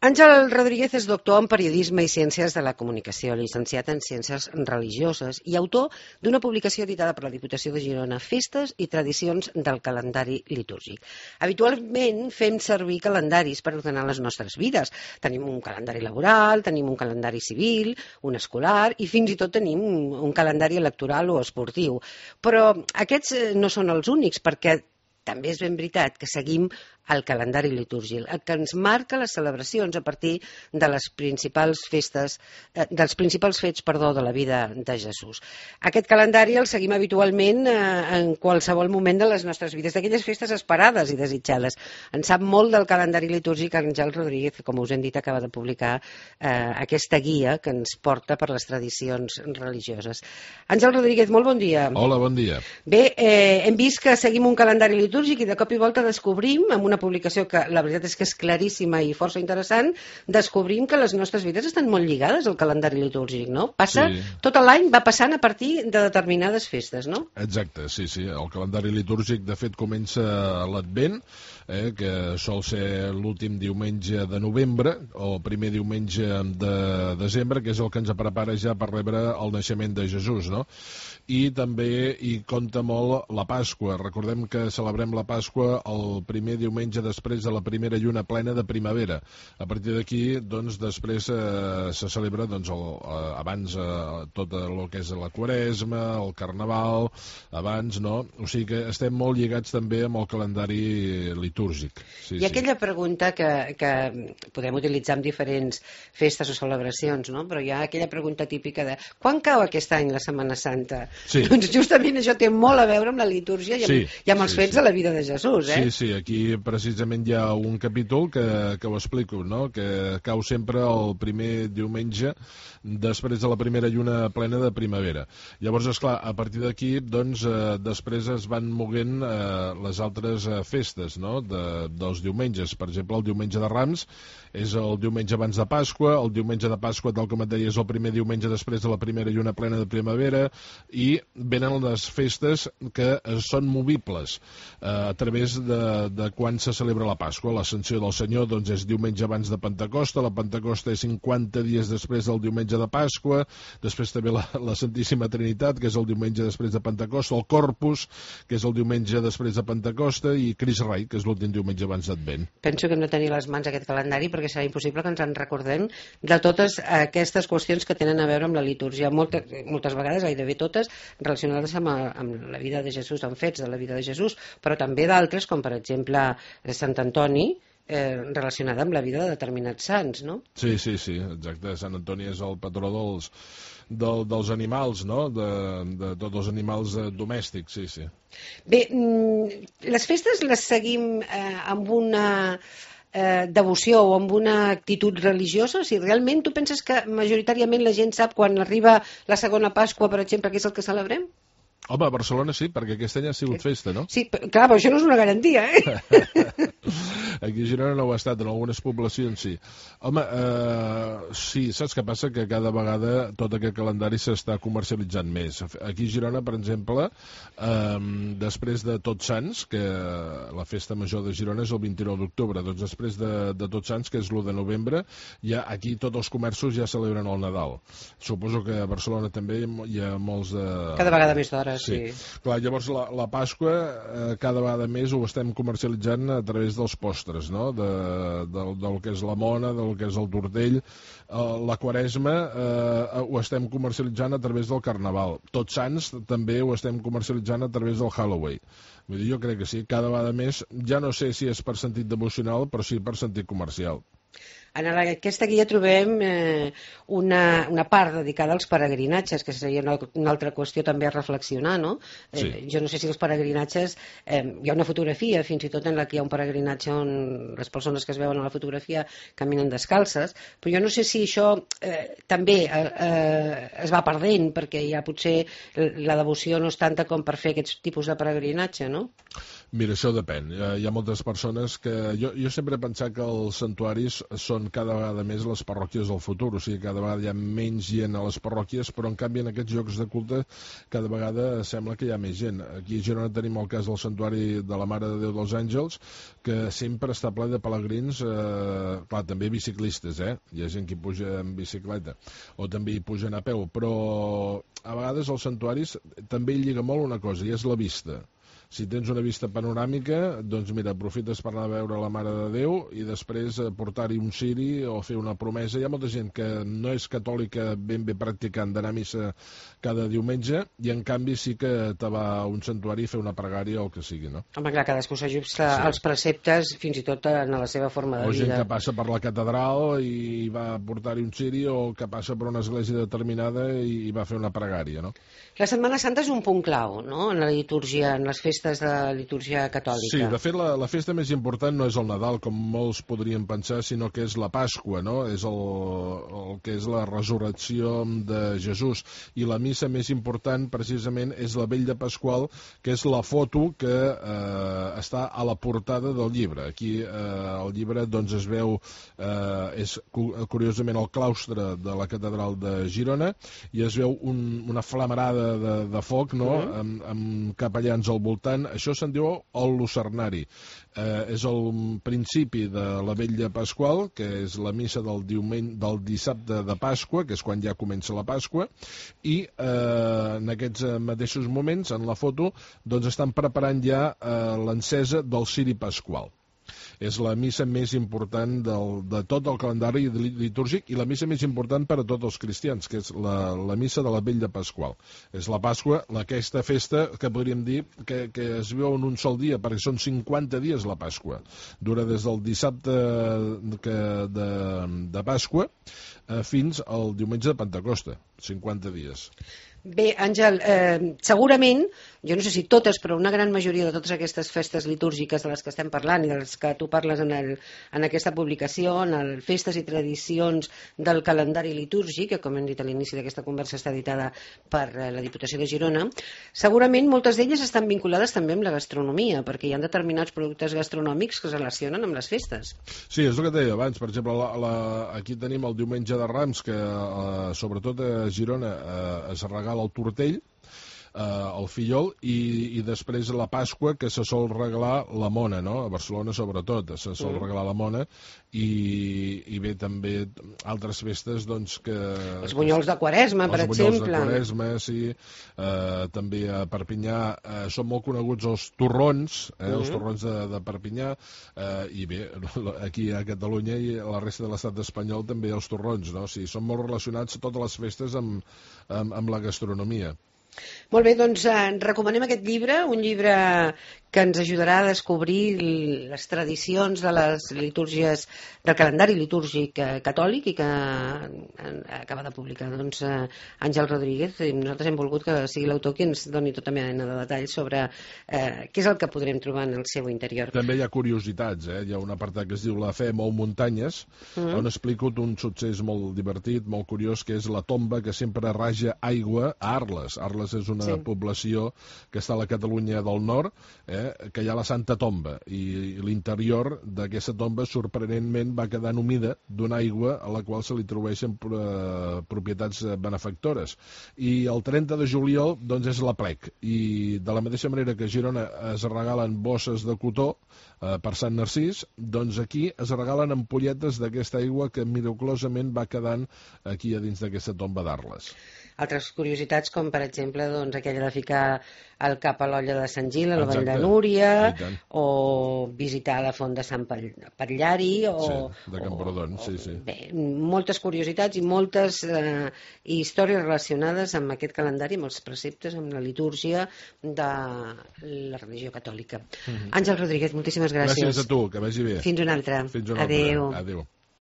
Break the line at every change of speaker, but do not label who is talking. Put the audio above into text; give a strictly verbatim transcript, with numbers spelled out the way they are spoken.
Àngel Rodríguez és doctor en Periodisme i Ciències de la Comunicació, llicenciat en Ciències Religioses i autor d'una publicació editada per la Diputació de Girona, Festes i tradicions del calendari litúrgic. Habitualment fem servir calendaris per ordenar les nostres vides. Tenim un calendari laboral, tenim un calendari civil, un escolar i fins i tot tenim un calendari electoral o esportiu. Però aquests no són els únics, perquè també és ben veritat que seguim el calendari litúrgic, el que ens marca les celebracions a partir de les principals festes, eh, dels principals fets, perdó, de la vida de Jesús. Aquest calendari el seguim habitualment eh, en qualsevol moment de les nostres vides, d'aquelles festes esperades i desitjades. En sap molt del calendari litúrgic Àngel Rodríguez, que, com us hem dit, acaba de publicar eh, aquesta guia que ens porta per les tradicions religioses. Àngel Rodríguez, molt bon dia.
Hola, bon dia.
Bé, eh, hem vist que seguim un calendari litúrgic i de cop i volta descobrim, amb una publicació que la veritat és que és claríssima i força interessant, descobrim que les nostres vides estan molt lligades al calendari litúrgic, no? Passa, sí. Tot l'any va passant a partir de determinades festes, no?
Exacte, sí, sí. El calendari litúrgic, de fet, comença a l'Advent, eh, que sol ser l'últim diumenge de novembre, o el primer diumenge de desembre, que és el que ens prepara ja per rebre el naixement de Jesús, no? I també hi compta molt la Pasqua. Recordem que celebrem la Pasqua el primer diumenge després de la primera lluna plena de primavera. A partir d'aquí, doncs, després eh, se celebra, doncs, el, eh, abans eh, tot el que és la Quaresma, el Carnaval, abans, no? O sigui que estem molt lligats també amb el calendari litúrgic. Sí,
I aquella sí. pregunta que, que podem utilitzar en diferents festes o celebracions, no? Però hi ha aquella pregunta típica de quan cau aquest any la Setmana Santa?
Sí.
Doncs justament això té molt a veure amb la litúrgia i amb,
sí,
i amb els
sí,
fets
sí.
de la vida de Jesús, eh?
Sí, sí, aquí precisament hi ha un capítol que, que ho explico, no? Que cau sempre el primer diumenge després de la primera lluna plena de primavera. Llavors, esclar, a partir d'aquí, doncs, eh, després es van moguent eh, les altres eh, festes, no? De, dels diumenges. Per exemple, el diumenge de Rams és el diumenge abans de Pasqua, el diumenge de Pasqua, tal com et deia, és el primer diumenge després de la primera lluna plena de primavera, i venen les festes que són movibles eh, a través de, de quan se celebra la Pasqua. L'Ascensió del Senyor, doncs, és diumenge abans de Pentecosta, la Pentecosta és cinquanta dies després del diumenge de Pasqua, després també la, la Santíssima Trinitat, que és el diumenge després de Pentecosta, el Corpus, que és el diumenge després de Pentecosta, i Crist Rei, que és l'últim diumenge abans d'Advent.
Penso que hem de tenir a les mans aquest calendari perquè serà impossible que ens en recordem de totes aquestes qüestions que tenen a veure amb la litúrgia, moltes, moltes vegades, gairebé totes, relacionades amb, amb la vida de Jesús, amb fets de la vida de Jesús, però també d'altres, com per exemple Sant Antoni, eh, relacionada amb la vida de determinats sants, no?
Sí, sí, sí, exacte. Sant Antoni és el patró dels, del, dels animals, no? De, de tots els animals eh, domèstics, sí, sí.
Bé, les festes les seguim eh, amb una eh, devoció o amb una actitud religiosa? O sigui, realment tu penses que majoritàriament la gent sap quan arriba la segona Pasqua, per exemple, que és el que celebrem?
Home, a Barcelona sí, perquè aquest any ha sigut festa, no?
Sí, clar, però això no és una garantia, eh?
Aquí a Girona no ho ha estat, en algunes poblacions sí. Home, eh, sí, saps què passa? Que cada vegada tot aquest calendari s'està comercialitzant més. Aquí a Girona, per exemple, eh, després de Tots Sants, que la festa major de Girona és el vint-i-nou d'octubre, doncs després de, de Tots Sants, que és l'u de novembre, ja aquí tots els comerços ja celebren el Nadal. Suposo que a Barcelona també hi ha molts de...
Cada vegada més d'hores, sí.
sí. Clar, llavors la, la Pasqua eh, cada vegada més ho estem comercialitzant a través dels postres, no? De, del, del que és la mona, del que és el tortell. Eh, la Quaresma eh, ho estem comercialitzant a través del Carnaval. Tots Sants també ho estem comercialitzant a través del Halloween. Vull dir, jo crec que sí, cada vegada més, ja no sé si és per sentit devocional, però sí per sentit comercial.
En aquesta guia trobem eh, una, una part dedicada als peregrinatges, que seria una, una altra qüestió també a reflexionar, no? Eh,
sí.
Jo no sé si els peregrinatges... Eh, hi ha una fotografia, fins i tot en la que hi ha un peregrinatge on les persones que es veuen a la fotografia caminen descalces, però jo no sé si això eh, també eh, eh, es va perdent, perquè ja potser la devoció no és tanta com per fer aquests tipus de peregrinatge, no?
Mira, això depèn. Hi ha moltes persones que... Jo, jo sempre he pensat que els santuaris són són cada vegada més les parròquies del futur, o sigui, cada vegada hi ha menys gent a les parròquies, però en canvi en aquests llocs de culte cada vegada sembla que hi ha més gent. Aquí a Girona tenim el cas del Santuari de la Mare de Déu dels Àngels, que sempre està ple de pelegrins, eh, clar, també biciclistes, eh? Hi ha gent que hi puja en bicicleta, o també hi pugen a peu, però a vegades als santuaris també hi lliga molt una cosa, i és la vista. Si tens una vista panoràmica, doncs mira, aprofites per anar a veure la Mare de Déu i després portar-hi un ciri o fer una promesa. Hi ha molta gent que no és catòlica ben bé practicant d'anar a missa cada diumenge i en canvi sí que te va a un santuari a fer una pregària o el que sigui, no?
Home, clar, cadascú s'ajusta sí. als preceptes fins i tot en la seva forma de
o
vida.
O gent que passa per la catedral i va portar-hi un ciri, o que passa per una església determinada i va fer una pregària, no?
La Setmana Santa és un punt clau, no?, en la litúrgia, en les festes de litúrgia catòlica.
Sí, de fet la, la festa més important no és el Nadal, com molts podrien pensar, sinó que és la Pasqua, no? És el, el que és la resurrecció de Jesús. I la missa més important, precisament, és la Vetlla Pasqual, que és la foto que eh, està a la portada del llibre. Aquí eh, el llibre doncs, es veu, eh, és curiosament el claustre de la catedral de Girona, i es veu un, una flamarada de, de foc, no?, uh -huh. amb, amb capellans al voltant. Això se'n diu el lucernari. Eh, és el principi de la Vetlla Pasqual, que és la missa del, diumenge, del dissabte de Pasqua, que és quan ja comença la Pasqua, i eh, en aquests mateixos moments, en la foto, doncs estan preparant ja eh, l'encesa del ciri pasqual. És la missa més important del, de tot el calendari litúrgic i la missa més important per a tots els cristians, que és la, la missa de la Vetlla Pasqual. És la Pasqua, aquesta festa que podríem dir que, que es viu en un sol dia, perquè són cinquanta dies la Pasqua. Dura des del dissabte que de, de Pasqua eh, fins al diumenge de Pentecosta, cinquanta dies.
Bé, Àngel, eh, segurament, jo no sé si totes, però una gran majoria de totes aquestes festes litúrgiques de les que estem parlant i de les que tu parles en, el, en aquesta publicació, en el Festes i Tradicions del Calendari Litúrgic, que com hem dit a l'inici d'aquesta conversa està editada per la Diputació de Girona, segurament moltes d'elles estan vinculades també amb la gastronomia, perquè hi ha determinats productes gastronòmics que es relacionen amb les festes.
Sí, és el que et deia abans. Per exemple, la, la, aquí tenim el Diumenge de Rams, que eh, sobretot a Girona eh, es regala el tortell, eh, el fillol, i, i després la Pasqua, que se sol regalar la mona, no? A Barcelona sobretot se sol mm. regalar la mona, i, i bé també altres festes, doncs, que...
Els bunyols de Quaresma, per exemple.
Els bunyols de Quaresma, sí. Eh, també a Perpinyà eh, són molt coneguts els torrons, eh, mm. els torrons de, de Perpinyà, eh, i bé, aquí a Catalunya i a la resta de l'estat espanyol també els torrons, no? O sigui, són molt relacionats totes les festes amb, amb, amb la gastronomia.
Molt bé, doncs eh, recomanem aquest llibre, un llibre que ens ajudarà a descobrir les tradicions de les litúrgies, del calendari litúrgic eh, catòlic, i que eh, acaba de publicar doncs, eh, Àngel Rodríguez, i nosaltres hem volgut que sigui l'autor qui ens doni tota mena de detalls sobre eh, què és el que podrem trobar en el seu interior.
També hi ha curiositats, eh? Hi ha un apartat que es diu La fe mou muntanyes, mm. on explico un succés molt divertit, molt curiós, que és la tomba que sempre raja aigua a Arles. Arles és una sí. població que està a la Catalunya del Nord, eh, que hi ha la Santa Tomba, i l'interior d'aquesta tomba sorprenentment va quedant humida d'una aigua a la qual se li atribueixen eh, propietats benefactores. I el trenta de juliol doncs és l'aplec, i de la mateixa manera que a Girona es regalen bosses de cotó eh, per Sant Narcís, doncs aquí es regalen ampolletes d'aquesta aigua que miraculosament va quedant aquí a dins d'aquesta tomba d'Arles.
Altres curiositats, com per exemple doncs, aquella de ficar el cap a l'olla de Sant Gil, a la Vall de Núria, o visitar la font de Sant Patllari, o...
Sí, de Camprodon, sí, sí.
Bé, moltes curiositats i moltes eh, històries relacionades amb aquest calendari, amb els preceptes, amb la litúrgia de la religió catòlica. Mm-hmm. Àngel Rodríguez, moltíssimes gràcies.
Gràcies a tu, que vagi bé.
Fins una altra.
Fins una
Adéu.
altra. Adéu.